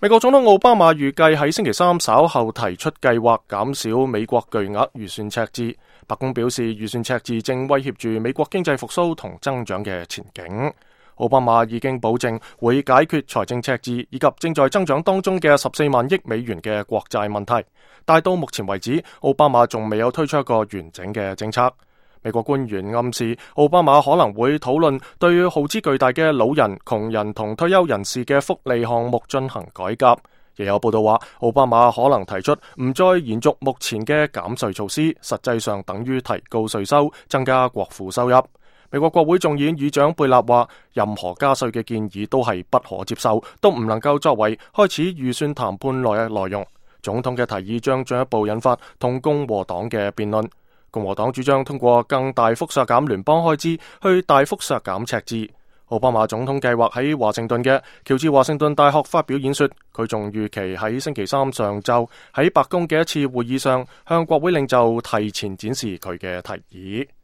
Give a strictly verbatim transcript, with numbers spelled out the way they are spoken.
美國總統奧巴馬預計喺星期三稍後提出計劃減少美國巨額預算赤字。白宮表示，預算赤字正威脅住美國經濟復甦同增長嘅前景。奧巴馬已經保證會解決財政赤字以及正在增長當中嘅十四萬億美元嘅國債問題，但到目前為止，奧巴馬仲未有推出一個完整嘅政策。美國官員暗示，奧巴馬可能會討論對耗資巨大嘅老人、窮人同退休人士嘅福利項目進行改革。亦有報道話，奧巴馬可能提出唔再延續目前嘅減稅措施，實際上等於提高稅收，增加國庫收入。美國國會眾議院議長貝納話，任何加稅嘅建議都係不可接受，都唔能夠作為開始預算談判內嘅內容。總統嘅提議將進一步引發同共和黨嘅辯論。共和黨主張通過更大幅削減聯邦開支，去大幅削減赤字。奧巴馬總統計劃喺華盛頓嘅喬治華盛頓大學發表演說，佢仲預期喺星期三上晝喺白宮嘅一次會議上向國會領袖提前展示佢嘅提議。